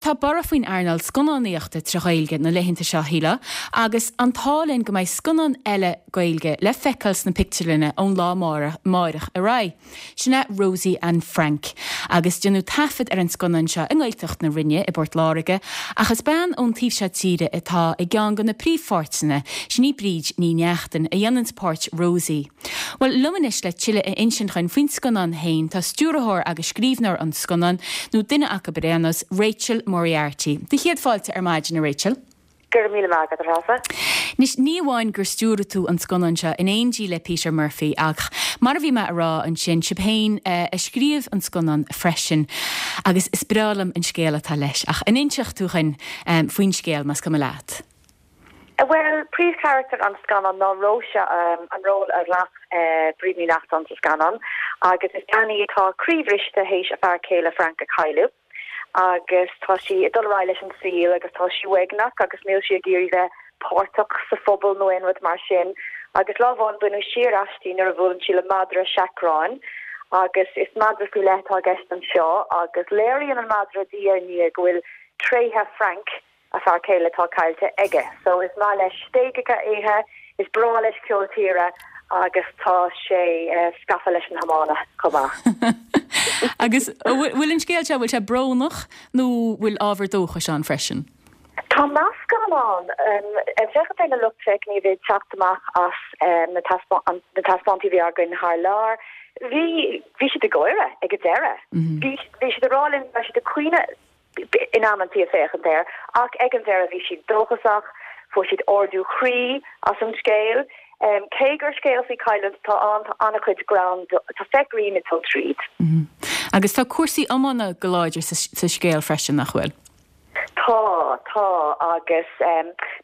Tá borradh faoin earnáil scannánaíochta trí Ghaeilge na laethanta seo, a Shíle, agus an t-ádh linn go mbeidh scannán eile Gaeilge le feiceáil sna pictiúrlanna ón lá amáireach ar aghaidh. Sin é Rosie and Frank. Agus déanadh taifead ar an scannán seo i nGaeltacht na Rinne i bPort Láirge, ach is bean ón taobh seo tíre atá i gceann de na príomhpháirteanna, sin í Bríd Ní Neachtain, a dhéananns páirt Rosie. Bhuel, liom anois le tuilleadh a insint dhuinn faoin scannán féin tá stiúrthóir agus scríbhneoir an scannáin, nó duine acu ar aon nós, Rachel Moriarty. Do chéad fáilte ar maidin, a Rachel. Go raibh míle maith agat, a Threasa. Anois, ní amháin gur stiúraigh tú an scannán seo in éindí le Peter Murphy ach, mar a bhí mé a rá ansin, sibh féin a scríobh an scannán freisin agus is breá liom an scéal atá leis. Ach an inseodh tú dhuinn faoin scéal, más cuma leat? Bhuel, príomhcharachtar an scannáin ná Róise, an ról a ghlac Bríd Ní Neachtain sa scannán, agus is bean í atá croíbhriste théis a fear céile Frank a chailleadh, agus tá sí ag dul ar aghaidh leis an saol agus tá sí uaigneach agus níl sí ag iarraidh bheith páirteach sa phobal nó aon rud mar sin. Agus lá amháin baineadh siar aisti nuair a bhuaileann sí le madra seacráin, agus is madra faoi leith atá i gceist anseo, agus léiríonn an madra diaidh ar ndiaidh go bhfuil tréithe Frank a fear céile atá caillte aige. So is maith leis stéigeacha a ithe, is breá leis ceol tíre agus tá sé scafa leis an iomána chomh maith. Agus bhfuil an scéal seo, bhfuil sé brónach nó bhfuil ábhar dóchais ann freisin? Tá meascán ann. Ag féachaint ar na lucht féachana a bhí ag teacht amach as na taispeántaí a bhí againn thar lear, bhí bhí siad ag gáire ag an deireadh. Bhí bhí siad ag rá linn go raibh siad ag caoineadh in amantaí ag féachaint air, ach ag an deireadh bhí siad dóchasach, fuair siad ardú croí as an scéal. Cé gur scéal faoi chailliúint atá ann, tá an-chuid greann, tá féith grinn ag dul tríd. Agus tá cúrsaí iomána go láidir sa scéal freisin, nach bhfuil? Tá, tá, agus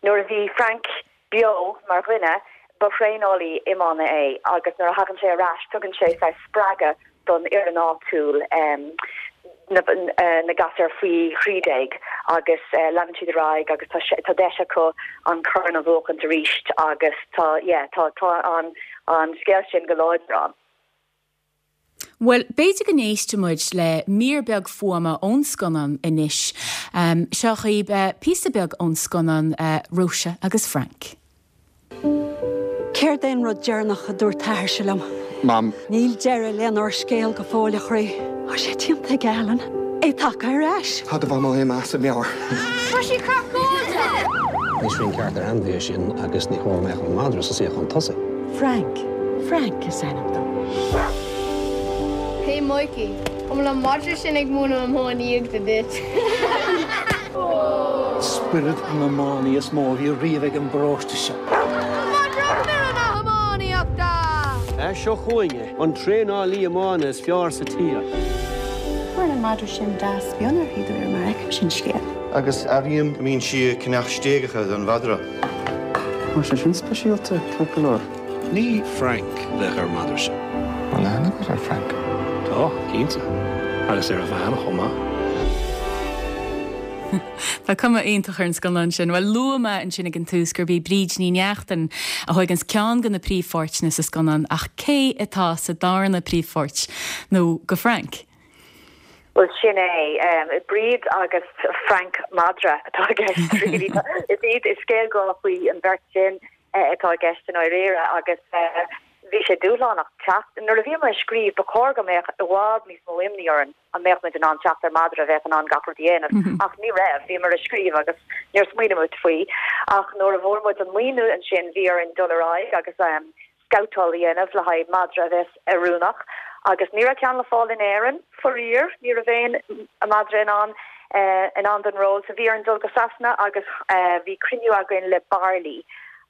nuair a bhí Frank beo mar dhuine, ba thraenálaí iomána é agus nuair a thagann sé ar ais tugann sé saghas spreagadh don fhoireann áitiúil, na gasúir faoi 13 agus leanann siad ar aghaidh agus tá tá deis acu an corn a bhuachaint arís agus tá yeah tá tá an an scéal sin go láidir ann. Bhuel, b'fhéidir go n-éistfidh muid le mír beag fuaime ón scannán anois. Seo dhaoibh píosa beag ón scannán Róise agus Frank. Céard é an rud deireanach a dúirt t'athairse liom? Mam. Níl deireadh lenár scéal go fóill, a chroí. Tá sé déanta ag Alan. É tagtha ar ais. Tá do mhamó imithe as a meabhair. Tá sí craiceáilte! Ní srian ceart ar ainmhí é sin agus ní chóir go mbeadh an madra sa suíochán tosaigh. Frank. Frank is ainm dó. Hey Mikey, an bhfuil an madra sin ag múineadh iománaíochta duit? Spiorad an iománaí is mó a bhí riamh ag an bparóiste seo. Madra fhoireann na hiománaíochta! Seo chugainn é, an traenálaí iomána is fearr sa tír. Cuireann an madra sin deas bionn uirthi de réir mar a fheicimse an scéal. Agus airím go mbíonn sí ag ceannach stéigeacha don mhadra. Tá sé sin speisialta, ceart go leor. Ní Frank a bheadh ar an madra sin. An aithne agat ar Frank? Tá, cinnte. Agus ar a bhean chomh maith. Tá cuma iontach ar an scannán sin. Bhuel, luaigh mé ansin ag an tús gurb í Bríd Ní Neachtain a thóigeanns ceann de na príomhpháirteanna sa scannán ach cé atá sa darna príomhpháirt nó go Frank? Bhuel, sin é. Bríd agus Frank madra atá i gceist, really. Is iad, is scéal grá faoi an bheirt sin atá i gceist i ndáiríre agus bhí sé dúshlánach teacht. Nuair a bhíomar ag scríobh, ba chóir go mbeadh i bhfad níos mó imní orainn an mbeadh muid in ann teacht ar madra a bheadh in ann gach rud a dhéanamh, ach ní raibh. Bhíomar ag scríobh agus níor smaoinigh muid faoi. Ach nuair a bhfuair muid an maoiniú ansin, bhí orainn dul ar aghaidh agus scabhtáil a dhéanamh le haghaidh madra a bheas oiriúnach agus ní raibh ceann le fáil in Éirinn, faraor, ní raibh aon madra in ann in ann don ról so bhí orainn dul go Sasana agus bhí cruinniú againn le Barley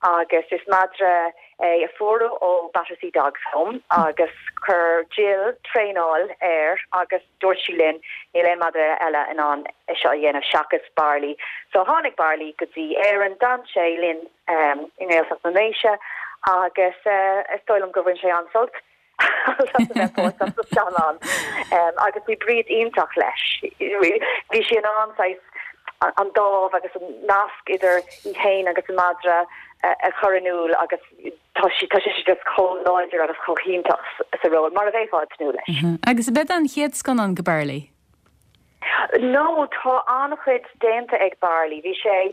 agus is madra é a fuaireadh ó Battersea Dogs Home agus chuir Jill traenáil air agus dúirt sí linn níl aon madra eile in ann é seo a dhéanamh seachas Barley. So tháinig Barley go dtí Éirinn, d'fhan sé linn i nGaeltacht na nDéise agus is dóigh liom gur bhain sé an-sult as a bheith páirteach sa scannán agus bhí Bríd iontach leis. Bhí sí in ann saghas an dáimh agus an nasc idir í féin agus an madra a chur in iúl agus tá sí tá sí just chomh láidir agus chomh hiontach sa ról, mar a bheifeá ag tnúth leis. Agus ab é an chéad scannán go Barley? No, tá an-chuid déanta ag Barley. Bhí sé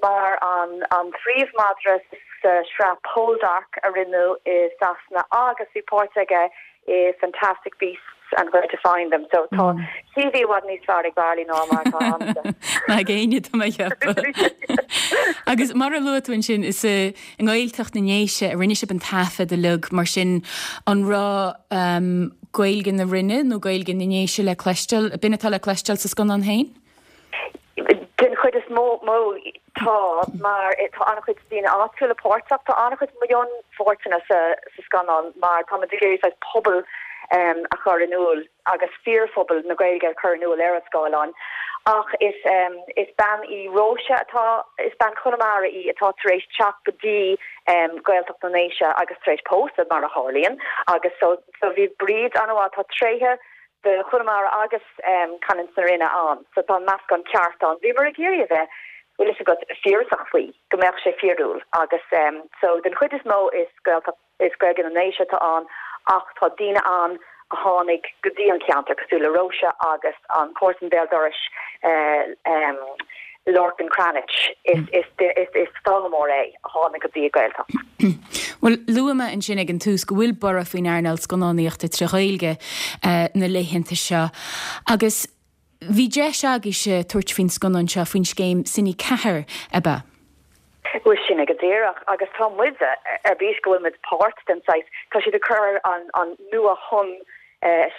mar an phríomh-mhadra sa sraith Poldark a rinneadh i Sasana agus bhí páirt aige i Fantastic Beasts and Where to Find Them. So tá CV i bhfad níos fearr ag Barley ná mar atá a'msa. Ná ag éinne, tá mé ag ceapadh. Agus mar a luaigh tú ansin, is i nGaeltacht na nDéise a rinne sibh an taifead uilig, mar sin an raibh Gaeilge na Rinne nó Gaeilge na nDéise le cloisteáil, b'in atá le cloisteáil sa scannán féin? Den chuid is mó, tá, mar tá an-chuid daoine áitiúla páirteach. Tá an-chuid mionpháirteanna sa scannán mar táimid ag iarraidh saghas pobal a chur in iúl agus fíorphobal na Gaeilge a chur in iúl ar an scáileán. Ach is is bean í Róise atá, is bean Chonamara í atá tar éis teacht go dtí Gaeltacht na nDéise agus tar éis pósadh mar a tharlaíonn agus so so bhí Bríd an-mhaith, tá tréithe de Chonamara agus canúint na Rinne ann, so tá an meascán ceart ann. Bhíomar ag iarraidh a bheith, bhfuil fhios agat, fíorasach faoi, go mbeadh sé fíorúil agus so den chuid is mó is Gaeltacht, is Gaeilge na nDéise atá ann ach tá daoine ann a tháinig go dtí an ceantar cosúil le Róise agus an comharsan béal dorais Lorcan Cranitch, is is foghlaimeoir é a tháinig go dtí an Ghaeltacht. Bhuel, luaigh mé ansin ag an tús go bhfuil borradh faoin earnáil scannánaíochta tré Ghaeilge na laethanta seo agus bhí deis agaibhse tabhairt faoin scannán seo faoin scéim Cine 4, ab ea? Bhuel, sin é go díreach agus tá muid ar bís go bhfuil muid páirt den saghas, tá siad ag cur an an nuathonn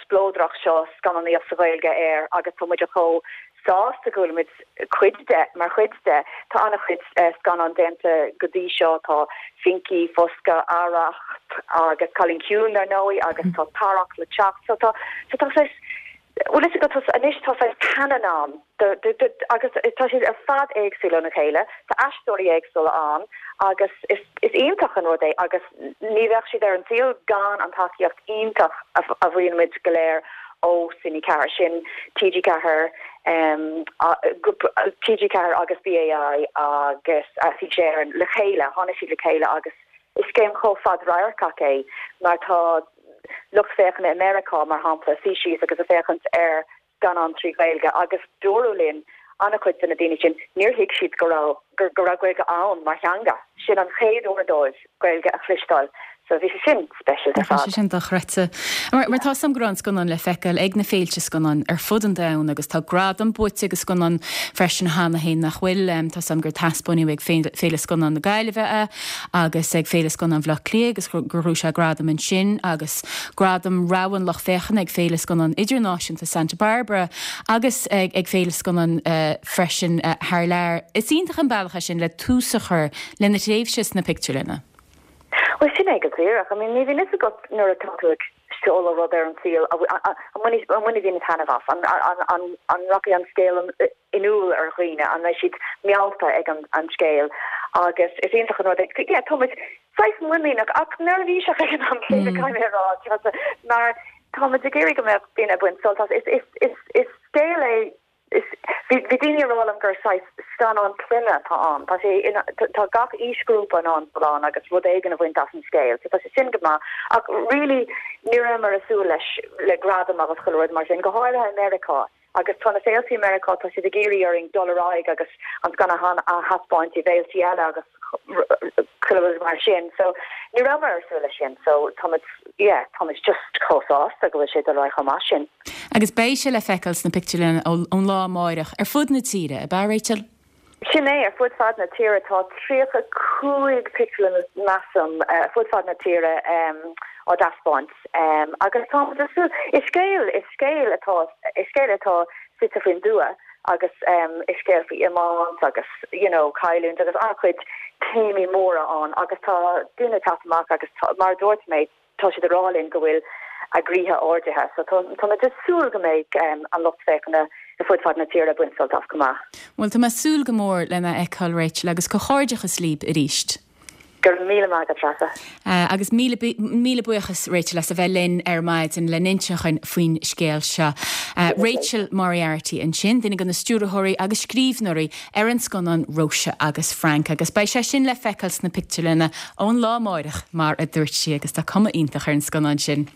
spleodrach seo scannánaíocht sa Ghaeilge air agus tá muid chomh sásta go bhfuil muid cuid de, mar chuid de. Tá an-chuid scannán déanta go dtí seo, tá Finky, Foscadh, Arracht agus Cailín Ciúin dar ndóigh agus tá Tarrac le teacht. So tá, so tá saghas, bhfuil fhios agat, tá, anois tá saghas canon ann do, do, do, agus tá siad ar fad éagsúil óna chéile, tá aisteoirí éagsúla ann agus is, is iontach an rud é agus ní bheadh siad ar an saol gan an tacaíocht iontach a, a bhfaigheann muid go léir ó Cine 4, sin TG4, TG4 agus BAI agus Fís Éireann le chéile, tháinig siad le chéile agus is scéim chomh fadradharcach é mar tá lucht féachana i Meiriceá, mar shampla, suí síos agus ag féachaint ar scannán trí Ghaeilge agus dúradh linn, an-chuid de na daoine sin, níor thuig siad go raibh, go raibh Gaeilge ann mar theanga. Sin an chéad uair dóibh Gaeilge a chloisteáil so bhí sé sin speisialta ar fad. Tá sé sin dochreidte. Mar tá 'fhios a'm go raibh an scannán le feiceáil ag na féilte scannán ar fud an domhain agus tá gradam buaite ag an scannán freisin cheana féin nach bhfuil. Tá 'fhios a'm gur taispeáineadh ag Féile Scannán na Gaillimhe é agus ag Féile Scannán Bhaile Átha Cliath agus gur ghnóthaigh sé gradam ansin agus gradam rogha an lucht féachana ag Féile Scannán Idirnáisiúnta Santa Barbara agus ag Féile Scannán freisin thar lear. Is iontach an bealach é sin le tús a chur lena thréimhse sna pictiúrlanna. Bhuel, sin é go díreach. I mean, ní bhíonn fhios agat nuair atá tú ag seoladh rud ar an saol, an mbainfidh daoine taitneamh as, an rachaidh an scéal in iúl ar dhaoine, an mbeidh siad meallta ag an scéal agus is iontach an rud é. Yeah, tá muid saghas muiníneach ach neirbhíseach ag an am céanna, caithfidh mé a rá, mar tá muid ag iarraidh go mbeadh daoine ag baint sult as. Is scéal é, bhí daoine ag rá liom gur saghas scannán clainne atá ann. Tá sé, tá gach aoisghrúpa in ann dul ann agus rud éigin a bhaint as an scéal, so tá sé sin go maith. Ach really ní rabhamar ag súil leis, le gradam agus chuile rud mar sin, go háirithe i Meiriceá. Agus tá na féiltí i Meiriceá, tá siad ag iarraidh orainn dul ar aghaidh agus an scannán a thaispeáint i bhféiltí eile agus chuile rud mar sin. So ní rabhamar ar súil leis sin. So táimid, yeah, táimid just chomh sásta go bhfuil sé ag dul ar aghaidh chomh maith sin. Agus beidh sé le feiceáil sna pictiúrlanna ón lá amáireach ar fud na tíre, ab ea, Rachel? Sin é, ar fud fad na tíre. Tá 35 pictiúrlann, measaim, ar fud fad na tíre á dtaispeáint agus táimid ag súil. Is scéal, is scéal atá, is scéal atá suite faoin dtuath agus is scéal faoi iomáint agus you know cailliúint agus an-chuid téamaí móra ann agus tá daoine ag teacht amach agus tá, mar a dúirt mé, Tá siad ag rá linn go bhfuil a gcroíthe ardaithe so tá muid ag súil go mbeidh an lucht féachana ar fud fad na tíre ag baint sult as chomh maith. Bhuel, tá mé ag súil go mór lena fheiceáil, Rachel, agus comhghairdeachas libh arís. Go raibh míle maith agat, Treasa. Agus míle, míle buíochas, Rachel, as a bheith linn ar maidin le n-inseacht dhúinn faoin scéal seo. Rachel Moriarty ansin, duine de na stiúrthóirí agus scríbhneoirí ar an scannán Róise agus Frank agus beidh sé sin le feiceáil sna pictiúrlanna ón lá amáireach mar a dúirt sí agus tá cuma iontach ar an scannán sin.